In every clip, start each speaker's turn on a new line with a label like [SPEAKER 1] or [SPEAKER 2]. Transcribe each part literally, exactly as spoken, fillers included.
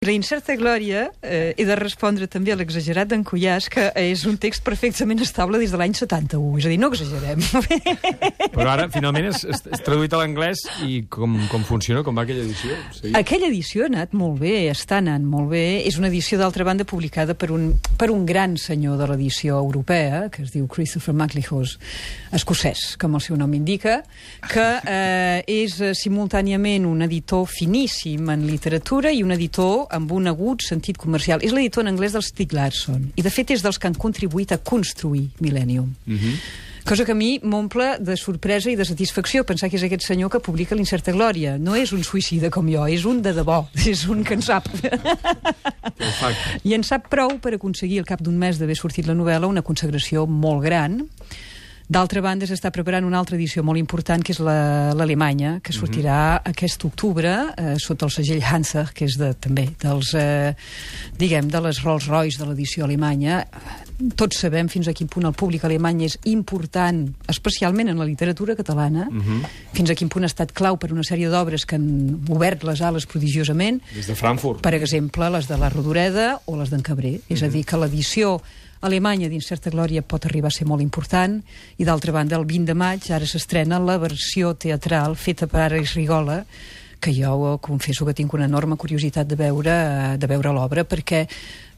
[SPEAKER 1] La incerta glòria, eh, he de respondre també a l'exagerat d'en Cuyàs, que és un text perfectament estable des de l'any setanta-u, és a dir, no exagerem.
[SPEAKER 2] Però ara, finalment, és, és traduït a l'anglès i com, com funciona, com va aquella edició? Sí.
[SPEAKER 1] Aquella edició ha anat molt bé, està anant molt bé. És una edició, d'altra banda, publicada per un, per un gran senyor de l'edició europea, que es diu Christopher MacLehose, escocès, com el seu nom indica, que eh, és eh, simultàniament un editor finíssim en literatura i un editor amb un agut sentit comercial. És l'editor en anglès del Stieg Larsson, i de fet és dels que han contribuït a construir Millennium. Mm-hmm. Cosa que a mi m'omple de sorpresa i de satisfacció pensar que és aquest senyor que publica l'Incerta Glòria. No és un suïcida com jo, és un de debò, és un que en sap. I en sap prou per aconseguir al cap d'un mes d'haver sortit la novel·la una consagració molt gran. D'altra banda, s'està preparant una altra edició molt important, que és l'Alemanya, que sortirà mm-hmm. aquest octubre, eh, sota el segell Hansa, que és de, també dels, eh, diguem, de les Rolls Royce de l'edició alemanya. Tots sabem fins a quin punt el públic alemany és important, especialment en la literatura catalana, mm-hmm. fins a quin punt ha estat clau per una sèrie d'obres que han obert les ales prodigiosament.
[SPEAKER 2] Des de Frankfurt.
[SPEAKER 1] Per exemple, les de la Rodoreda o les d'en Cabré. Mm-hmm. És a dir, que l'edició Alemanya d'Incerta Glòria pot arribar a ser molt important, i d'altra banda el vint de maig ara s'estrena la versió teatral feta per Ares Rigola, que jo confesso que tinc una enorme curiositat de veure, de veure l'obra, perquè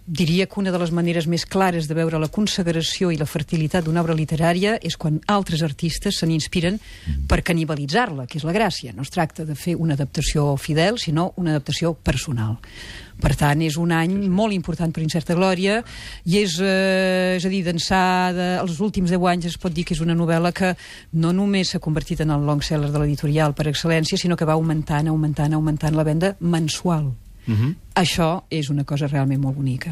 [SPEAKER 1] diria que una de les maneres més clares de veure la consagració i la fertilitat d'una obra literària és quan altres artistes se n'inspiren per canibalitzar-la, que és la gràcia. No es tracta de fer una adaptació fidel, sinó una adaptació personal. Per tant, és un any molt important per Incerta Glòria, i és, eh, és a dir, d'ençà de, els últims deu anys es pot dir que és una novel·la que no només s'ha convertit en el long seller de l'editorial per excel·lència, sinó que va augmentant, augmentant, augmentant la venda mensual. Uh-huh. Això és una cosa realment molt bonica.